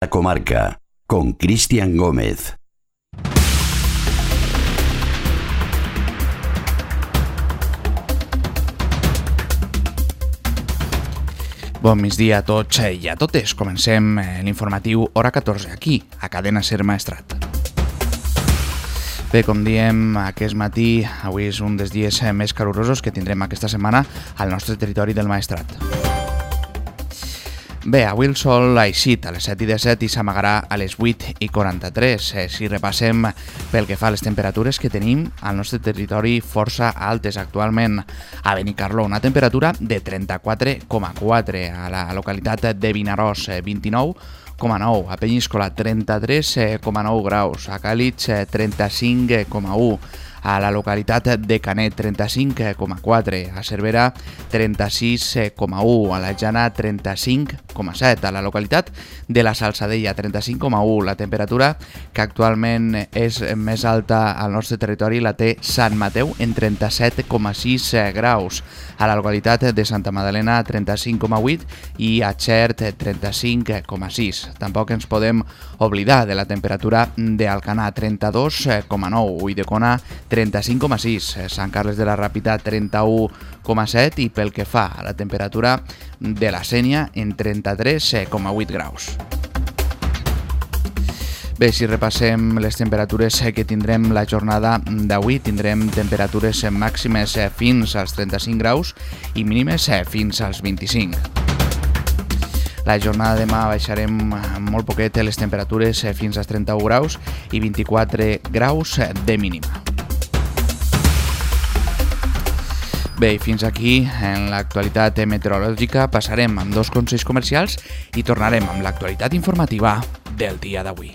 La Comarca, con Cristian Gómez. Bon migdia a tots i a totes. Comencem l'informatiu Hora 14 aquí, a Cadena Ser Maestrat. Bé, com diem aquest matí, avui és un dels dies més calorosos que tindrem aquesta setmana al nostre territori del Maestrat. Bé, avui el sol ha eixit a les 7:17 i s'amagarà a les 8:43. Si repassem pel que fa a les temperatures que tenim al nostre territori força altes actualment. A Benicarló, una temperatura de 34,4, a la localitat de Vinaròs, 29,9, a Penyíscola 33,9 graus, a Càlig 35,1, a la localitat de Canet 35,4, a Cervera 36,1, a la Jana 35,7, a la localitat de la Salzadella 35,1. La temperatura que actualment és més alta al nostre territori la té Sant Mateu en 37,6 graus, a la localitat de Santa Madalena 35,8 i a Xert 35,6. Tampoc ens podem oblidar de la temperatura d'Alcanar 32,9, Ulldecona 35,6, Sant Carles de la Ràpita 31,7 i pel que fa a la temperatura de la Sénia en 33,8 graus. Bé, si repassem les temperatures que tindrem la jornada d'avui, tindrem temperatures màximes fins als 35 graus i mínimes fins als 25. La jornada de demà baixarem molt poquet les temperatures fins als 31 graus i 24 graus de mínima. Bé, fins aquí en l'actualitat meteorològica. Passarem amb dos consells comercials i tornarem amb l'actualitat informativa del dia d'avui.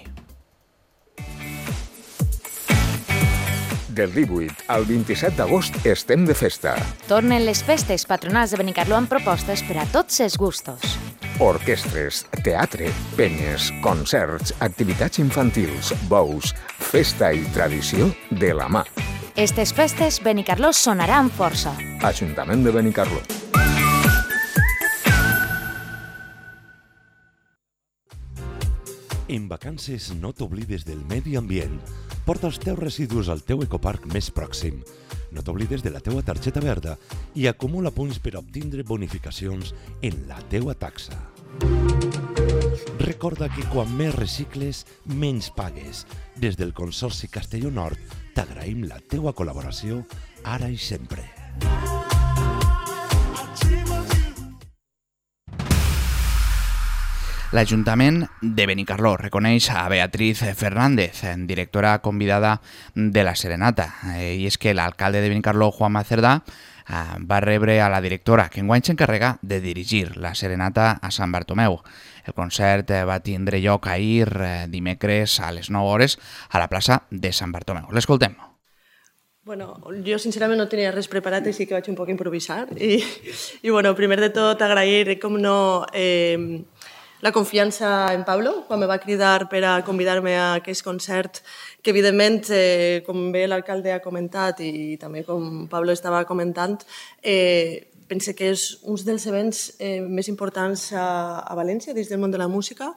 Del 18 al 27 d'agost estem de festa. Tornen les festes patronals de Benicarló amb propostes per a tots els gustos. Orquestres, teatre, penyes, concerts, activitats infantils, bous, festa i tradició de la mà. Estes festes Benicarló sonarà amb força. Ajuntament de Benicarló. En vacances no t'oblides del medi ambient. Porta els teus residus al teu ecoparc més pròxim. No t'oblides de la teua targeta verda i acumula punts per obtindre bonificacions en la teua taxa. Recorda que quan més recicles, menys pagues. Des del Consorci Castelló Nord t'agraïm la teua col·laboració ara i sempre. L'Ajuntament de Benicarló reconeix a Beatriz Fernández, directora convidada de la Serenata. I és que l'alcalde de Benicarló, Juanma Cerdà, va rebre a la directora, que enguany s'encarrega de dirigir la Serenata a Sant Bartomeu. El concert va tindre lloc ahir, dimecres, a les 9 hores, a la plaça de Sant Bartomeu. L'escoltem. Bueno, jo sincerament no tenia res preparat, així que vaig un poc improvisar. I bueno, primer de tot agrair, com no, la confiança en Pablo, quan me va cridar per a convidar-me a aquest concert, que evidentment, com bé l'alcalde ha comentat i també com Pablo estava comentant, pense que és un dels events més importants a València dins del món de la música,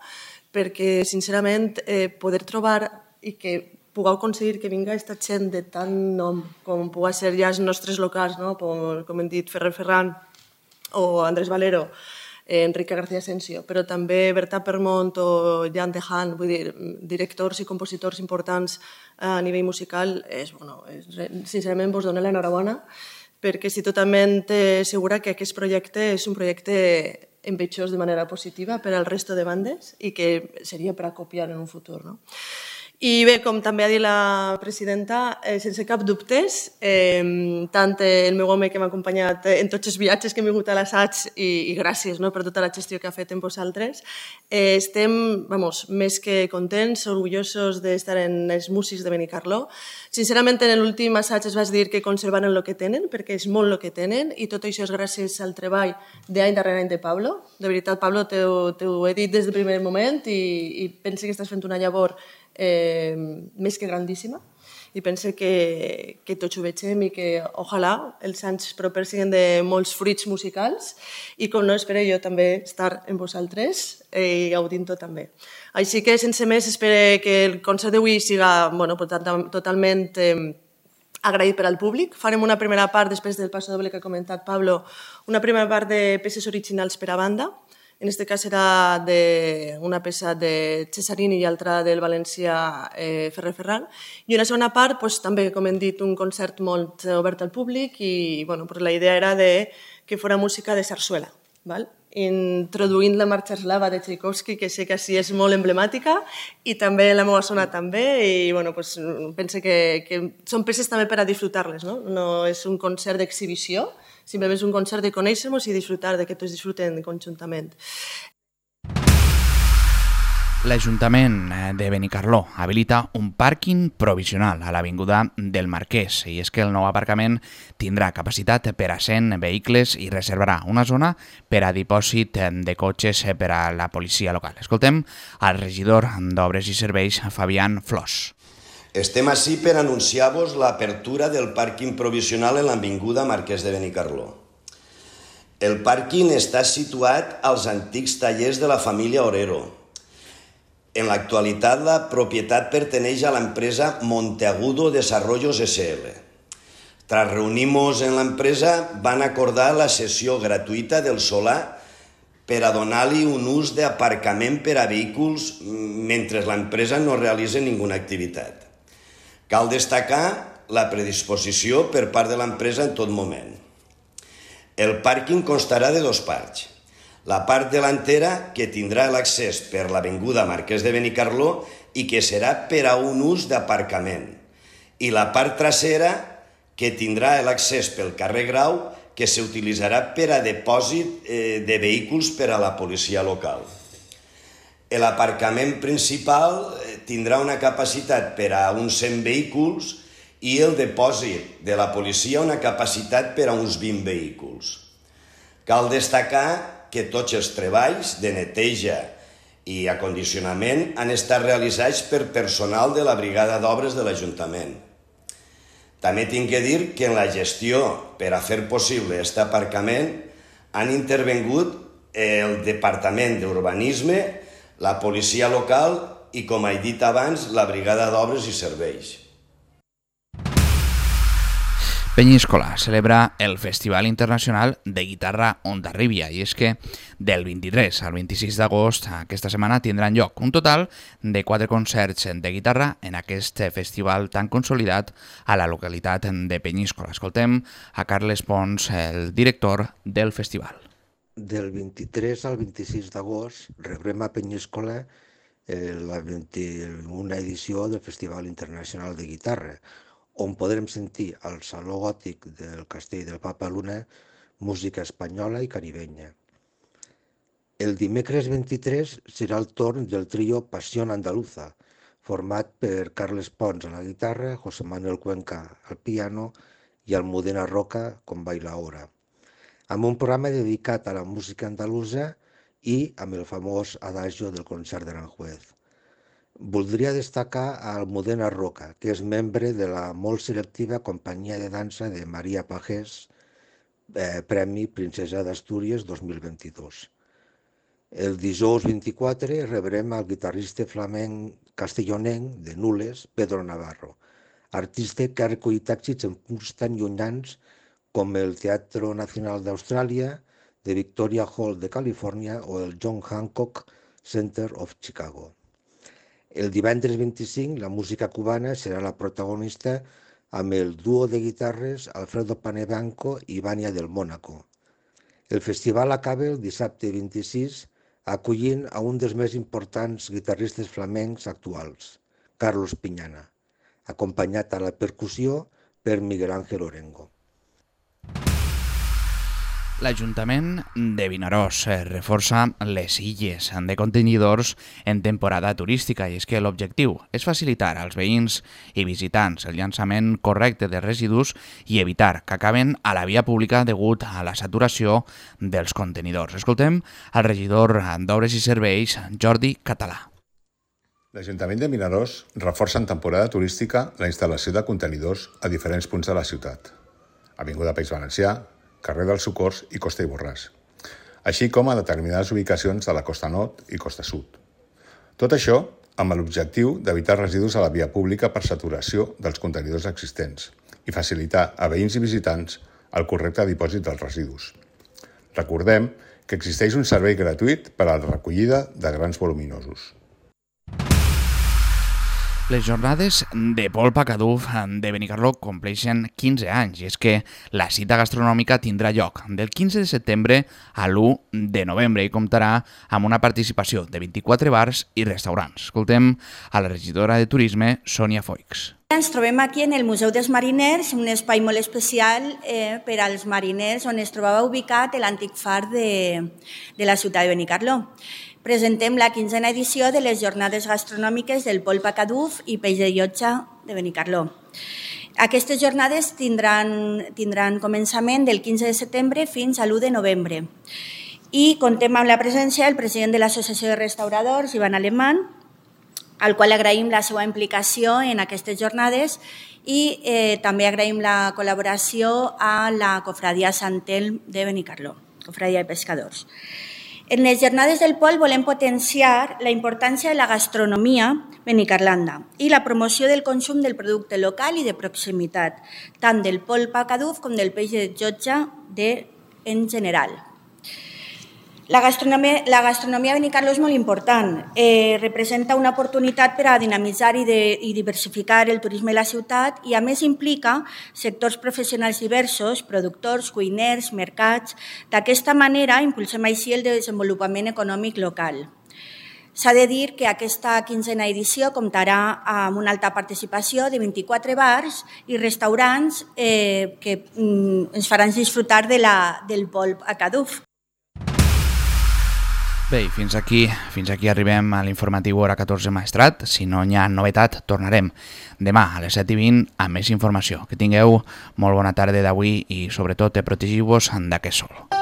perquè sincerament poder trobar i que pugueu aconseguir que vinga aquesta gent de tant nom com pugui ser ja els nostres locals, no? Com hem dit, Ferrer Ferran o Andrés Valero, Enrique García Asensio, però també Berta Permont o Jan de Haan, vull dir, directors i compositors importants a nivell musical, sincerament vos dono l'enhorabona, perquè estic totalment segura que aquest projecte és un projecte envejós de manera positiva per al resto de bandes i que seria per a copiar en un futur, no? I bé, com també ha dit la presidenta, sense cap dubtes, tant el meu home que m'ha acompanyat en tots els viatges que hem vingut a l'assaig i gràcies per tota la gestió que ha fet en vosaltres, estem més que contents, orgullosos d'estar en els músics de Benicarló. Sincerament, en l'últim assaig es va dir que conservaran el que tenen, perquè és molt el que tenen, i tot això és gràcies al treball d'any darrere any de Pablo. De veritat, Pablo, t'ho he dit des del primer moment i penso que estàs fent una llavor més que grandíssima. i pense que tots ho vegem i que ojalà els anys propers siguin de molts fruits musicals i com no espero jo també estar amb vosaltres i gaudint-ho també. Així que sense més espero que el concert d'avui siga totalment agraït per al públic. Farem una primera part, després del passo doble que ha comentat Pablo, una primera part de peces originals per a banda. En aquest cas serà una peça de Cesarini i altra del valencià Ferrer Ferran. I una segona part, també, com hem dit, un concert molt obert al públic i la idea era que fos música de sarsuela, introduint la marxa eslava de Tchaikovsky, que sé que així és molt emblemàtica, i també la meva zona també, i penso que són peces també per a disfrutar-les, no és un concert d'exhibició, simplement és un concert de conèixer-nos i disfrutar, que tots disfruten conjuntament. L'Ajuntament de Benicarló habilita un pàrquing provisional a l'Avinguda del Marquès i és que el nou aparcament tindrà capacitat per a 100 vehicles i reservarà una zona per a dipòsit de cotxes per a la policia local. Escoltem al regidor d'Obres i Serveis, Fabián Flors. Estem ací per anunciar-vos l'apertura del pàrquing provisional en l'Avinguda Marquès de Benicarló. El pàrquing està situat als antics tallers de la família Orero. En l'actualitat, la propietat perteneix a l'empresa Monteagudo Desarrollos S.L. Tras reunir-nos en l'empresa, van acordar la cessió gratuïta del solar per a donar-li un ús d'aparcament per a vehicles mentre l'empresa no realitza ninguna activitat. Cal destacar la predisposició per part de l'empresa en tot moment. El pàrquing constarà de dos parts. La part delantera, que tindrà l'accés per l'avinguda Marquès de Benicarló i que serà per a un ús d'aparcament. I la part trasera, que tindrà l'accés pel carrer Grau, que s'utilitzarà per a depòsit de vehicles per a la policia local. L'aparcament principal tindrà una capacitat per a uns 100 vehicles i el depòsit de la policia una capacitat per a uns 20 vehicles. Cal destacar que tots els treballs de neteja i acondicionament han estat realitzats per personal de la Brigada d'Obres de l'Ajuntament. També tinc que dir que en la gestió per a fer possible aquest aparcament han intervingut el Departament d'Urbanisme, la policia local i, com he dit abans, la Brigada d'Obres i Serveis. Peñíscola celebra el Festival Internacional de Guitarra Hondarribia i és que del 23 al 26 d'agost aquesta setmana tindran lloc un total de 4 concerts de guitarra en aquest festival tan consolidat a la localitat de Peñíscola. Escoltem a Carles Pons, el director del festival. Del 23 al 26 d'agost rebrem a Peñíscola la 21a edició del Festival Internacional de Guitarra, on podrem sentir al Saló Gòtic del Castell del Papa Luna música espanyola i caribenya. El dimecres 23 serà el torn del trio Pasión Andaluza, format per Carles Pons a la guitarra, José Manuel Cuenca al piano i Almudena Roca com bailaora, amb un programa dedicat a la música andalusa i amb el famós adagio del concert d'Aranjuez. Voldria destacar a Almudena Roca, que és membre de la molt selectiva companyia de dansa de Maria Pagès, Premi Princesa d'Astúries 2022. El dijous 24 rebrem al guitarrista flamenc castellonenc de Nules, Pedro Navarro, artista que ha recollit èxits en punts tan llunyans com el Teatre Nacional d'Austràlia, de Victoria Hall de Califòrnia o el John Hancock Center of Chicago. El divendres 25 la música cubana serà la protagonista amb el duo de guitarres Alfredo Panebanco i Vania del Mónaco. El festival acaba el dissabte 26 acollint a un dels més importants guitarristes flamencs actuals, Carlos Piñana, acompanyat a la percussió per Miguel Ángel Orengo. L'Ajuntament de Vinaròs reforça les illes de contenidors en temporada turística i és que l'objectiu és facilitar als veïns i visitants el llançament correcte de residus i evitar que acaben a la via pública degut a la saturació dels contenidors. Escoltem al regidor d'Obres i Serveis, Jordi Català. L'Ajuntament de Vinaròs reforça en temporada turística la instal·lació de contenidors a diferents punts de la ciutat. Avinguda País Valencià, carrer dels Socors i Costa i Borràs, així com a determinades ubicacions de la Costa Nord i Costa Sud. Tot això amb l'objectiu d'evitar residus a la via pública per saturació dels contenidors existents i facilitar a veïns i visitants el correcte dipòsit dels residus. Recordem que existeix un servei gratuït per a la recollida de grans voluminosos. Les jornades de polpa Caduf de Benicarló compleixen 15 anys i és que la cita gastronòmica tindrà lloc del 15 de setembre a l'1 de novembre i comptarà amb una participació de 24 bars i restaurants. Escoltem a la regidora de Turisme, Sònia Foix. Ens trobem aquí en el Museu dels Mariners, un espai molt especial per als mariners on es trobava ubicat l'antic far de la ciutat de Benicarló. Presentem la 15a edició de les jornades gastronòmiques del polpa Caduf i peix de llotja de Benicarló. Aquestes jornades tindran començament del 15 de setembre fins a l'1 de novembre. I contem amb la presència del president de l'Associació de Restauradors, Ivan Alemán, al qual agraïm la seva implicació en aquestes jornades i també agraïm la col·laboració a la Cofradia Sant Elm de Benicarló, Cofradia de Pescadors. En les jornades del pol volem potenciar la importància de la gastronomia benicarlanda i la promoció del consum del producte local i de proximitat, tant del polpa Caduf com del peix de llotja en general. La gastronomia a Benicarló és molt important. Representa una oportunitat per a dinamitzar i diversificar el turisme de la ciutat i a més implica sectors professionals diversos, productors, cuiners, mercats. D'aquesta manera impulsem així el desenvolupament econòmic local. S'ha de dir que aquesta 15a edició comptarà amb una alta participació de 24 bars i restaurants que ens faran disfrutar del polp a Caduf. Bé, i fins aquí arribem a l'informatiu hora 14 Maestrat. Si no hi ha novetat, tornarem demà a les 7:20 amb més informació. Que tingueu molt bona tarda d'avui i sobretot protegiu-vos d'aquest sol.